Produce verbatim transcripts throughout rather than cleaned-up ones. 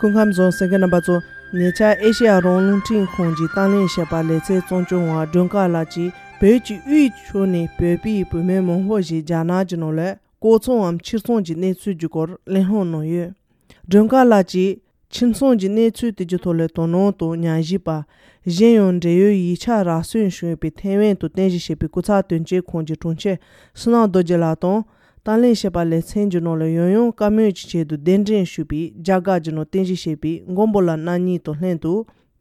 སྐུ་ཁམས་བཟང་གསན་མཁན་རྣམ་པ་ཚོ། ཉེ་ཆར་ཨེ་ཤེ་ཡ་རང་དབང་རླུང་འཕྲིན་ཁང་གི་དང་ལེན་བྱས་པ་ལེ་ཚན་གཙོ་སྐྱོང་བ་སྒྲོལ་དཀར་ལགས་ཀྱིས་བོད་ཀྱི་དབུས་ཕྱོགས་ནས་བོད་པའི་བུད་མེད་མང་པོ་ཞིག་རྒྱ་ནག་གི་ནང་ལ་ལྐོག་ཚོང་འམ་ཕྱིར་ཚོང་གི་གནས་ཚུལ་གྱི་སྐོར་གླེང་སློང་གནང་ཡོད། སྒྲོལ་དཀར་ལགས་ཀྱིས་ཕྱིར་ཚོང་གི་གནས་ཚུལ་དེ་གྱི་ཐོག་ལ་དོ་སྣང་དང་ཉམས་ཞིབ་པ། གཞན་ཡང་འབྲེལ་ཡོད་ཡིག་ཆ་རག་སོན་བྱུང་ཡོད་པའི་ཐེ་ཝན་དུ་རྟེན་གཞི་བྱས་པའི་སྐུ་ཚབ་དོན་གཅོད་ཁང་གི་དྲུང་ཆེ་བསོད་ནམས་རྡོ་རྗེ་ལགས་དང་། དང་ལེན་བྱས་པ་ལེ་ཚན་གྱི་ནང་ལ་ཡང་ཡང་བཀའ་མོལ་གྱི་ཆེད་དུ་གདན་འདྲེན་ཞུས་པའི་རྒྱ་གར་གྱི་ནང་རྟེན་གཞི་བྱས་པའི་མགོན་པོ་ལགས་རྣམ་གཉིས་དང་ལྷན་དུ།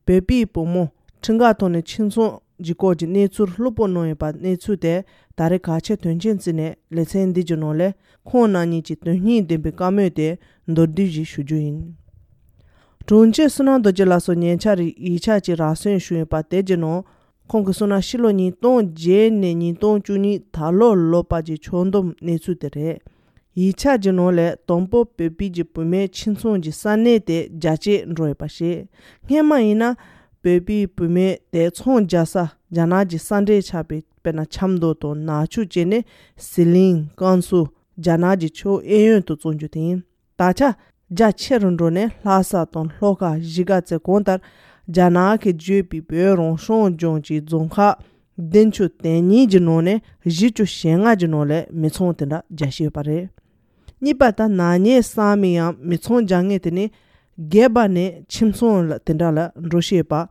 བོད་པའི་བུ་མོ་ཁྲིམས་འགལ་ཐོག་ནས་ཕྱིར་ཚོང་གི་སྐོར་གྱི་གནས་ཚུལ་ལྷུག་པོ་གནང་ཡོད་པ། གནས་ཚུལ་དེ་ད་རེས་གལ་ཆེ་དོན་ཆེན་བརྩིས་ནས་ལེ་ཚན་འདི་གྱི་ནང་ལས་ཁོང་རྣམ་གཉིས་ཀྱི་དོན་སྙིང་ལྡན་པའི་བཀའ་མོལ་དེ་མདོར་བསྡུས་ཤིག་ཞུ་རྒྱུ་ཡིན། དྲུང་ཆེ་བསོད་ནམས་རྡོ་རྗེ་ལགས་སུ་ཉེ་ཆར་ཡིག་ཆ་གཅིག་རག་སོན་བྱུང་ཡོད་པ་དེ་གྱི་ནང་། ཁོང་གིས་གསུངས་ན་ཕྱི་ལོ་ཉིས་སྟོང་བརྒྱད་ནས་ཉིས་སྟོང་བཅུ་གཉིས་ད་ལོ་ལོ་པ་གྱི་ཕྱོགས་བསྡོམས་གནས་ཚུལ་དེ་རེད། ཡིག་ཆ་གྱི་ནང་ལས་དང་པོ་བོད་པའི་གྱི་བུད་མེད་ཕྱིར་ཚོང་གྱི་ས་གནས་དེ་རྒྱ་བསྐྱེད་འགྲོ་ཡོད་པ་རེད། སྔན་མ་ཡིན་ན་བོད་པའི་བུད་མེད་དེ་ཚོང་རྒྱག་ས་རྒྱ་ནག་གི་ས་འབྲེལ་ཆགས་པའི་དཔེར་ན་ཆབ་མདོ་དང་ནག་ཆུ་བཅས་ནས་ཟི་ལིང་ཀན་སུའུ་རྒྱ་ནག་གི་ཕྱོགས་གཡས་གཡོན་དུ་བཙོང་རྒྱུ་དེ་ཡིན། ད་ཆ་རྒྱ་ཆེ་རུ་འགྲོ་ནས་ལྷ་ས་དང་ལྷོ་ཁ་གཞིས་ཀ་རྩེ་གང་ལྟར་རྒྱ་ནག་གིས་བརྗོད་པའི་བོད་རང་སྐྱོང་ལྗོངས་ཀྱི་རྫོང་ཁག་བདུན་ཅུ་དོན་གཉིས་ཀྱི་ནང་ནས་བཞི་ཅུ་ཞེ་ལྔ་གྱི་ནང་ལས་མི་ཚང་དེ་འདྲ་རྒྱ་ཤེས་ཡོད་པ་རེད། གཉིས་པ་ད་ནག་ཉེས་བསགས་མི་ཡང་མི་ཚང་རྒྱ་ངེས་དེ་ནི་སྒེར་པ་ནས་ཁྱིམ་ཚང་ལ་དེ་འདྲ་ལ་འགྲོ་ཤེས་པ།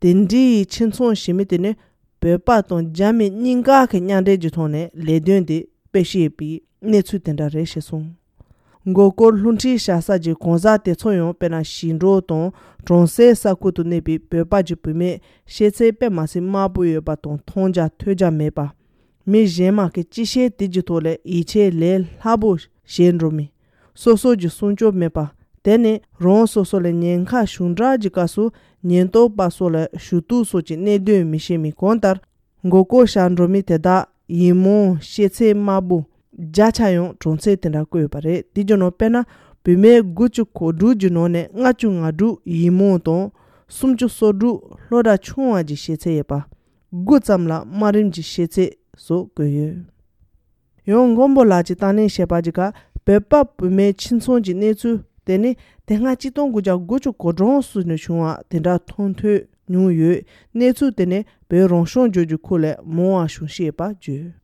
དེ་འདྲའི་ཁྱིམ་ཚང་ཞིག་མི་དེ་ནི་བོད་པ་དང་རྒྱ་མི་གཉིས་ཀ་གི་མཉམ་འབྲེལ་གྱི་ཐོག་ནས་ལས་དོན་དེ་སྤེལ་ཤེས་པའི་གནས་ཚུལ་དེ་འདྲ་རེད་ཞེས་གསུངས། མགོ་སྐོར་རླུང་འཕྲིན་བཞག་ས་ཀྱི་གང་ཟག་དེ་ཚོ་ཡང་དཔེར་ན་ཞིང་འབྲོག་དང་གྲོང་གསེབ་ས་ཁུལ་དུ་གནས་པའི་བོད་པ་གྱི་བུད་མེད་ཤེས་ཚད་དཔེ་མ་སྲིད་དམའ་པོ་ཡོད་པ་དང་མཐོང་རྒྱ་ཐོས་རྒྱ་མེད་པ། མི་གཞན་མ་གི་སྤྱི་བཤད་དེ་གྱི་ཐོག་ལས་ཡིད་ཆེས་ལས་སླ་པོ་བྱེད་འགྲོ་མི། སོ་སོ་གྱི་སྲུང་སྐྱོབ་མེད་པ། དེ་ནི་རང་སོ་སོ་ལ་ཉེན་ཁ་བྱུང་དྲགས་ཀྱི་སྐབས་སུ་ཉེན་རྟོག་པ་སོགས་ལ་ཞུ་གཏུག་སོགས་ཀྱི་གནད་དོན་མི་ཤེས་མི་གང་ལྟར། མགོ་སྐོར་བཞག་འགྲོ་མི་དེ་དག་ཡིག་རྨོངས་ཤེས་ཚད་དམའ་པོ་བརྒྱ་ཆ་ཡང་གྲངས་ཚད་དེ་འདྲ་བཀོད་ཡོད་པ་རེད། དེ་རྒྱུ་ནོར་དཔེར་ན་བུད་མེད་དགུ་བཅུ་གོ་དྲུག་གི་ནང་ནས་ལྔ་བཅུ་ང་དྲུག་ཡིག་རྨོངས་དང་། སུམ་ཅུ་སོ་དྲུག་སློབ་གྲྭ་ཆུང་བ་གྱི་ཤེས་ཚད་ཡོད་པ། དགུ་ཙམ་ལ་དམའ་རིམ་གྱི་ཤེས་ཚད་སོགས་བཀོད་ཡོད། ཡང་མགོན་པོ་ལགས་ཀྱིས་བཏང་ལེན་བྱས་པ་ཅིག་ག་བོད་པ་བུད་མེད་ཁྱིམ་ཚང་གི་གནས་ཚུལ་དེ་ནི་དེ་སྔ་གཅིག་སྟོང་དགུ་བརྒྱ་དགུ་བཅུ་གོ་གྲངས་སུ་ནས་བྱུང་བ་དེ་འདྲ་མཐོང་ཐོས་མྱོང་ཡོད། གནས་ཚུལ་དེ་ནི་བོད་རང་སྐྱོང་ལྗོངས་ཀྱི་ཁུལ་ལས་མང་བ་བྱུང་ཤེས་པ་བརྗོད།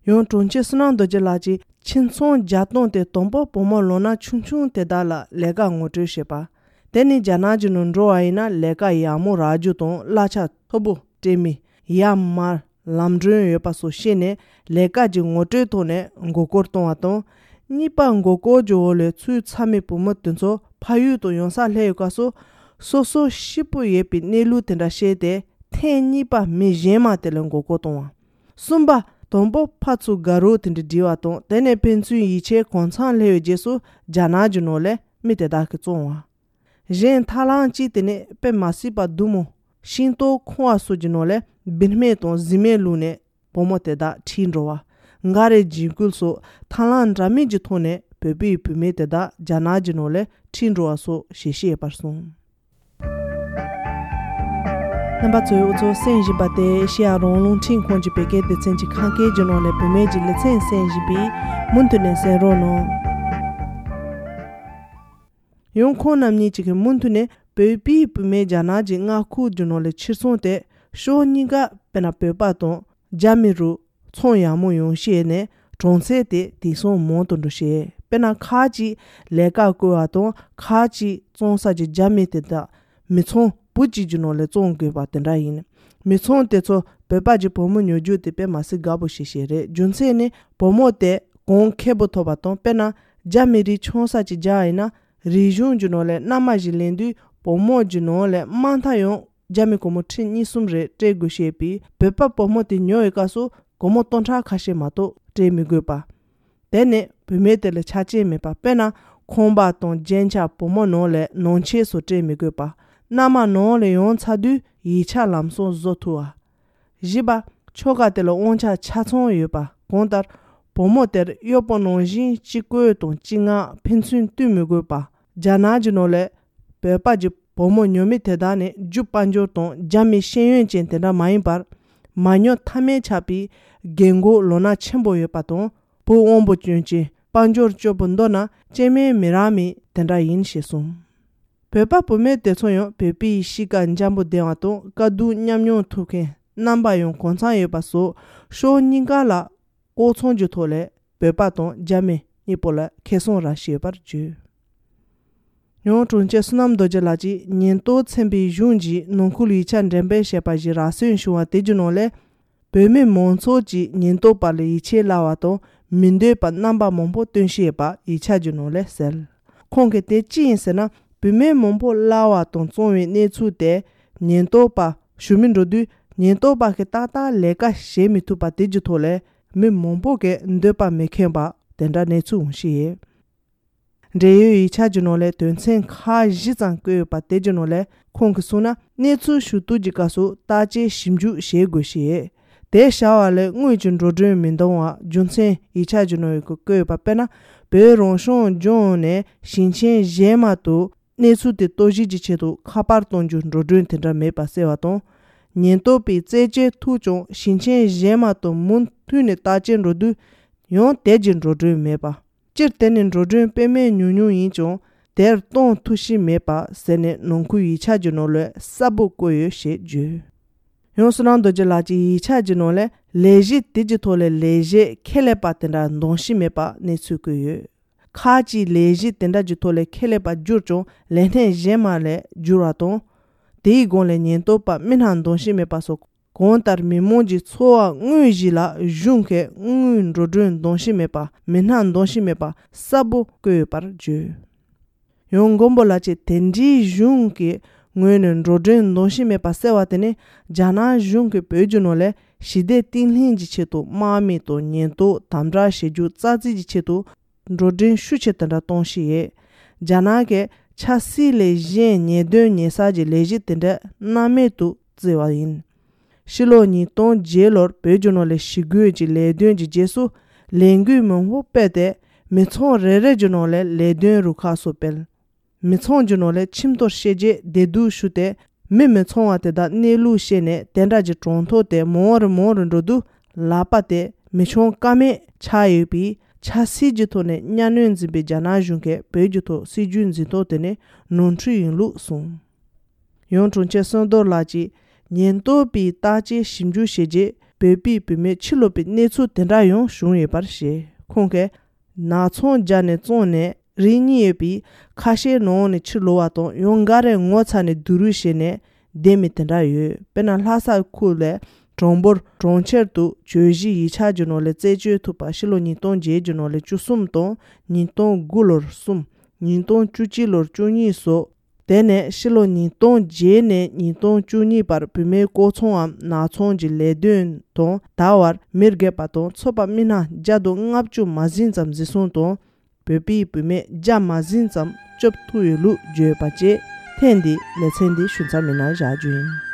ཡང་དྲུང་ཆེ་བསོད་ནམས་རྡོ་རྗེ་ལགས་ཀྱིས་ཁྱིམ་ཚང་བརྒྱ་སྟོང་དེ་དང་པོ་བུ་མོ་ལོ་ན་ཆུང་ཆུང་དེ་དག་ལ་ལས་ཀ་ངོ་སྤྲོད་བྱེད་པ། དེ་ནི་རྒྱ་ནག་གི་ནང་འགྲོ་བ་ཡིན་ན་ལས་ཀ་ཡག་མོ་རག་རྒྱུ་དང་གླ་ཆ་མཐོ་པོ་སྤྲད་མི། ཡར་མར་ལམ་གྲོན་ཡོད་པ་སོགས་ཤེས་ནས་ལས་ཀ་གྱི་ངོ་སྤྲོད་ཐོག་ནས་མགོ་སྐོར་གཏོང་བ་དང་། གཉིས་པ་མགོ་སྐོར་གྱི་འོག་ལས་ཚུད་ཚར་མི་བུ་མོ་དེ་ཚོ་ཕ་ཡུལ་དུ་ཡོང་ས་སླེབས་ཡོད་སྐབས་སུ་སོ་སོ་ཤི་པོ་ཡོད་པའི་གནས་ལུགས་དེ་འདྲ་ཤེས་ཏེ་ཐེངས་གཉིས་པ་མི་གཞན་མ་དེ་ལ་མགོ་སྐོར་གཏོང་བ། གསུམ་པ། དང་པོ་ཕར་ཚུར་དགའ་རོགས་དེ་འདྲ་སྒྲིལ་བ་དང་དེ་ནས་ཕན་ཚུན་ཡིད་ཆེས་གང་འཚམ་སླེབས་པའི་རྗེས་སུ་རྒྱ་ནག་གི་ནང་ལས་མི་དེ་དག་གིས་བཙོང་བ། གཞན་ཐབས་ལམ་གཅིག་དེ་ནི་དཔེ་མ་སྲིད་པ་སྡུག་མོ། ཤིང་ཏོག་ཁང་བ་སོགས་ཀྱི་ནང་ལས་བིན་སྨན་དང་གཟི་སྨན་བླུགས་ནས་བུ་མོ་དེ་དག་ཁྲིད་འགྲོ་བ། འགའ་རེ་འཇིགས་སྐུལ་སོགས་ཐབས་ལམ་འདྲ་མིན་གྱི་ཐོག་ནས་བོད་པའི་བུད་མེད་དེ་དག་རྒྱ་ནག་གི་ནང་ལས་ཁྲིད་འགྲོ་བ་སོགས་ཞལ་བཞེས་ཡོད་པར་གསུངས། རྣམ་པ་ཚོས་འུ་ཚོ་གསན་བཞིན་པ་དེ་ཨེ་ཤེ་ཡ་རང་དབང་རླུང་འཕྲིན་ཁང་གི་བོད་སྐད་སྡེ་ཚན་གྱི་ཁམས་སྐད་ཀྱི་ནང་ནས་བུད་མེད་ཀྱི་ལེ་ཚན་གསན་བཞིན་པས་མུ་མཐུད་ནས་གསན་རོགས་གནང་། ཡང་ཁོང་རྣམ་གཉིས་ཀྱིས་མུ་མཐུད་ནས་བོད་པའི་བུད་མེད་རྒྱ་ནག་གི་མངའ་ཁུལ་གྱི་ནང་ལ་ཕྱིར་ཚོང་དེ་ཕྱོགས་གཉིས་ཀ་དཔེར་ན་བོད་པ་དང་རྒྱ་མི་རུ་ཚོང་ཡག་མོ་ཡོང་ཤེས་ནས་གྲངས་ཚད་དེ་དེང་སང་མང་དུ་འགྲོ་ཤེས། དཔེར་ན་ཁག་ཅིག་ལས་ཀ་བསྐོས་པ་དང་ཁག་ཅིག་བཙོང་ས་ཀྱི་རྒྱ་མི་དེ་དག་མི་ཚང་བུ་གཅིག་གི་ནང་ལས་བཙོང་དགོས་པ་དེ་འདྲ་ཡིན། མི་ཚང་དེ་ཚོ་བོད་པ་གྱི་བུ་མོ་ཉོ་རྒྱུ་དེ་དཔེ་མ་སྲིད་དགའ་པོ་ཞིག་ཞིག་རེད། རྒྱུ་མཚན་ནི་བུ་མོ་དེ་གོང་ཁེ་པོ་ཐོབ་པ་དང་དཔེར་ན་རྒྱ་མི་རིགས་ཆང་ས་ཀྱི་རྒྱ་ཡིན་ན་རིག་གཞུང་གི་ནང་ལས་མནའ་མ་ཞིག་ལེན་དུས་བུ་མོ་གྱི་ནང་ལས་དམའ་མཐའ་ཡང་རྒྱ་མི་སྒོར་མོ་ཁྲི་གཉིས་གསུམ་རེ་སྤྲད་དགོས་ཤེས་པས་བོད་པ་བུ་མོ་དེ་ཉོ་བའི་སྐབས་སུ་སྒོར་མོ་སྟོང་ཕྲག་ཁ་ཤས་མ་གཏོགས་སྤྲད་མི་དགོས་པ། དེ་ནི་བུད་མེད་དེ་ལ་ཆ་རྐྱེན་མེད་པ་དཔེར་ན་ཁང་པ་དང་རྒྱན་ཆ་བུ་མོ་ནང་ལས་ནང་ཆས་སུ་སྤྲད་མི་དགོས་པ། མནའ་མ་ནང་ལ་ཡོང་ཚར་དུས་ཡིག་ཆ་ལམ་སང་བཟོ་ཐུབ་པ། བཞི་པ། ཆོ་ག་དེ་ལ་དབང་ཆ་ཆ་ཚང་ཡོད་པ་གང་ལྟར། བུ་མོ་དེར་གཡོག་པོ་ནང་བཞིན་སྤྱི་བཀོད་དང་སྤྱི་མངགས་ཕན་ཚུན་བསྟུན་མི་དགོས་པ། རྒྱ་ནག་གི་ནང་ལས་བོད་པ་གྱི་བུ་མོ་ཉོ་མི་དེ་དག་ནི་རྒྱུ་དཔལ་འབྱོར་དང་རྒྱ་མི་ཤེས་ཡོན་ཅན་དེ་འདྲ་མ་ཡིན་པར། མ་ཉོ་ཐབས་མེད་ཆགས་པའི་རྒན་གོག་ལོ་ན་ཆེན་པོ་ཡོད་པ་དང་བུ་དབང་པོ་སྐྱོན་ཅན་དཔལ་འབྱོར་སྐྱོ་པོ་མདོར་ན་སྐྱེ་དམན་མི་རག་མི་དེ་འདྲ་ཡིན་ཞེས་གསུངས། བོད་པ་བུད་མེད་དེ་ཚོ་ཡང་བོད་པའི་གཤིས་ཀ་འཇམ་པོ་ལྡན་པ་དང་དཀའ་སྡུག་མཉམ་མྱོང་ཐུབ་མཁན་རྣམ་པ་ཡང་གང་འཚམ་ཡོད་པ་སོགས་ཕྱོགས་གཉིས་ཀ་ལ་ལྐོག་ཚོང་གི་ཐོག་ལས་བོད་པ་དང་རྒྱ་མི་གཉིས་པོ་ལ་ཁེ་བཟང་རག་བཞིན་ཡོད་པར་བརྗོད། ཡང་དྲུང་ཆེ་བསོད་ནམས་རྡོ་རྗེ་ལགས་ཀྱིས་ཉེན་རྟོག་ཚན་པའི་གཞུང་གིས་ནང་ཁུལ་ཡིག་ཆ་འགྲེམས་སྤེལ་བྱས་པ་ཞིག་རག་སོན་བྱུང་བ་དེ་གྱི་ནང་ལས། བོད་མི་མང་ཚོགས་ཀྱིས་ཉེན་རྟོག་པ་ལ་ཡིད་ཆེས་སླ་བ་དང་མི་འདོད་པ་རྣམ་པ་མང་པོ་སྟོན་བཞིན་ཡོད་པ་ཡིག་ཆ་གྱི་ནང་ལས་གསལ། ཁོང་གིས་དེ་ཅི་ཡིན་ཟེར་ན། བུད་མེད་མང་པོ་གླ་བ་དང་བཙོང་བའི་གནས་ཚུལ་དེ་ཉེན་རྟོག་པ་ཞུ་མི་འགྲོ་དུས་ཉེན་རྟོག་པ་གིས་ཏག་ཏག་ལས་ཀ་བྱེད་མི་ཐུབ་པ་དེ་གྱི་ཐོག་ལས་མི་མང་པོ་གིས་འདོད་པ་མི་ཁེངས་པ་དེ་འདྲ་གནས་ཚུལ་འོང་བཞིན་ཡོད། འབྲེལ་ཡོད་ཡིག་ཆ་གྱི་ནང་ལས་དོན་ཚན་ཁག་བཞི་ཙམ་བཀོད་ཡོད་པ་དེ་གྱི་ནང་ལས་ཁོང་གིས་གསུངས་ན། གནས་ཚུལ་ཞུ་གཏུག་གི་སྐབས་སུ་བརྟག་དཔྱད་ཞིབ་འཇུག་བྱེད་དགོས་ཞེས། དེ་བྱ་བ་ལས་དངུལ་གྱི་འགྲོ་གྲོན་མི་འདང་བ་རྒྱུ་མཚན་ཡིག་ཆ་གྱི་ནང་ཡོད་སྐོར་བཀོད་ཡོད་པ། དཔེར་ན། བོད་རང་སྐྱོང་ལྗོངས་ནས་ཞིང་ཆེན་གཞན་མ་དུ་གནས་ཚུལ་དེ་རྟོག་ཞིབ་ཀྱི་ཆེད་དུ་ཁ་པར་གཏོང་རྒྱུ་འགྲོ་གྲོན་དེ་འདྲ་མེད་པ་གསལ་བ་དང་། ཉེན་རྟོག་པས་རྩད་གཅོད་ཐུབ་ཀྱང་ཞིང་ཆེན་གཞན་མ་དུ་མུ་མཐུད་ནས་བརྟག་དཔྱད་འགྲོ་དུས་ཡང་དེ་གྱི་འགྲོ་གྲོན་མེད་པ། སྤྱིར་དེ་ནི་འགྲོ་གྲོན་དཔེ་མེད་ཉུང་ཉུང་ཡིན་ཀྱང་དེར་གཏོང་ཐུབ་བཞིན་མེད་པ་ཟེར་ནས་ནང་ཁུལ་ཡིག་ཆ་གྱི་ནང་ལས་གསལ་པོ་བཀོད་ཡོད་ཞེས་བརྗོད། ཡང་བསོད་ནམས་རྡོ་རྗེ་ལགས་ཀྱིས་ཡིག་ཆ་གྱི་ནང་ལས་ལས་གཞི་དེ་གྱི་ཐོག་ལས་ལས་བྱེད་ཁེ་ལས་པ་དེ་འདྲ་འདང་བཞིན་མེད་པ་གནས་ཚུལ་བཀོད་ཡོད། ཁག་ཅིག་ལས་གཞི་དེ་འདྲ་གྱི་ཐོག་ལས་ཁེ་ལས་པ་བསྒྱུར་ཀྱང་ལས་སྣེ་གཞན་མ་ལས་བསྒྱུར་བ་དང་། དེའི་སྒང་ལས་ཉེན་རྟོག་པ་མི་སྣ་འདང་བཞིན་མེད་པ་སོགས། གང་ལྟར་མི་མང་གི་འཚོ་བ་དངོས་གཞི་ལ་གཞུང་གིས་དངུལ་འགྲོ་གྲོན་འདང་བཞིན་མེད་པ། མི་སྣ་འདང་བཞིན་མེད་པ་གསལ་པོ་བཀོད་ཡོད་པར་བརྗོད། ཡང་མགོན་པོ་ལགས་ཀྱིས་དེ་འདྲའི་གཞུང་གི་ངོས་ནས་འགྲོ་གྲོན་འདང་བཞིན་མེད་པ་གསལ་བ་དེ་ནི་རྒྱ་ནག་གཞུང་གིས་བོད་ཀྱི་ནང་ལས་ཞི་བདེ་བརྟན་ལྷིང་གི་ཆེད་དུ་དམག་མི་དང་ཉེན་རྟོག་དམ་དྲག་བྱེད་རྒྱུ་རྩ་རྩིས་ཀྱི་ཆེད་དུ་འགྲོ་གྲོན་ཤུགས་ཆེ་དེ་འདྲ་གཏོང་བཞིན་ཡོད། རྒྱ་ནག་གིས་ཆབ་སྲིད་ལས་གཞན་ཉེས་དོན་ཉེས་གསོག་གི་ལས་གཞི་དེ་འདྲ་སྣང་མེད་དུ་བརྩི་བ་ཡིན། ཕྱི་ལོ་ཉིས་སྟོང་བརྒྱད་ལོར་བོད་ཀྱི་ནང་ལས་ཞི་རྒོལ་གྱི་ལས་དོན་གྱི་རྗེས་སུ་ལས་འགུལ་མང་པོ་སྤེལ་ཏེ་མི་ཚང་རེ་རེ་གྱི་ནང་ལས་ལས་དོན་རུ་ཁག་སོགས་སྤེལ། མི་ཚང་གི་ནང་ལས་ཁྱིམ་ཐོག་བཤལ་རྗེས་བདེ་སྡུག་ཞུས་ཏེ་མི་མི་ཚང་བ་དེ་དག་གནས་ལུགས་ཤེས་ནས་དེ་འདྲ་གྱི་གྲངས་ཐོ་དེ་མང་རུ་མང་རུ་འགྲོ་དུས་ལག་པ་དེ་མི་འཆང་ཀ་མེད་ཆགས་ཡོད་པས། ཆབ་སྲིད་ཀྱི་ཐོག་ནས་གཉའ་གནོན་འཛིན་པའི་རྒྱ་ནག་གཞུང་གིས་བོད་ཀྱི་ཐོག་སྲིད་ཇུས་འཛིན་སྟངས་དེ་ནི་ནོར་འཁྲུལ་ཡིན་ལུགས་གསུངས། ཡང་དྲུང་ཆེ་བསོད་རྡོར་ལགས་ཀྱིས་ཉེན་རྟོག་པས་བརྟག་དཔྱད་ཞིབ་འཇུག་བྱས་རྗེས་བོད་པའི་བུད་མེད་ཕྱིར་ལོག་པའི་གནས་ཚུལ་དེ་འདྲ་ཡང་བྱུང་ཡོད་པར་བཤད། ཁོང་གིས་ནག་ཚོང་རྒྱག་ནས་བཙོང་ནས་རིགས་གཉིས་ཡོད་པའི་ཁ་ཤས་ནང་ནས་ཕྱིར་ལོག་པ་དང་ཡང་འགའ་རེ་ངོ་ཚ་ནས་སྡུག་རུས་བྱས་ནས་བསྡད་མི་དེ་འདྲ་ཡོད། དཔེར་ན་ལྷ་ས་ཁུལ་ལས་གྲངས་འབོར་གྲངས་ཆེར་དུ་གྱོད་གཞི་ཡིག་ཆ་གྱི་ནང་ལས་རྩད་གཅོད་ཐུབ་པ་ཕྱི་ལོ་ཉིས་སྟོང་བརྒྱད་ཀྱི་ནང་ལས་བཅུ་གསུམ་དང་ཉིས་སྟོང་དགུ་ལོར་གསུམ། ཉིས་སྟོང་བཅུ་གཅིག་ལོར་བཅུ་གཉིས་སོགས། དེ་ནས་ཕྱི་ལོ་ཉིས་སྟོང་བརྒྱད་ནས་ཉིས་སྟོང་བཅུ་གཉིས་བར་བུད་མེད་ལྐོག་ཚོང་ངམ་ནག་ཚོང་གི་ལས་དོན་དང་ད་བར་མི་སྒེར་པ་དང་ཚོགས་པ་མི་སྣ་བརྒྱ་དང་ལྔ་བཅུ་མ་ཟིན་ཙམ་འཛིན་བཟུང་དང་། བོད་པའི་བུད་མེད་བརྒྱ་མ་ཟིན་ཙམ་སྐྱོབ་ཐུབ་ཡོད་ལུགས་བརྗོད་པ་བཅས་ཐེངས་འདིའི་ལེ་ཚན་འདི་ཞུ་མཚམས་མི་སྣ་བཞག་རྒྱུ་ཡིན།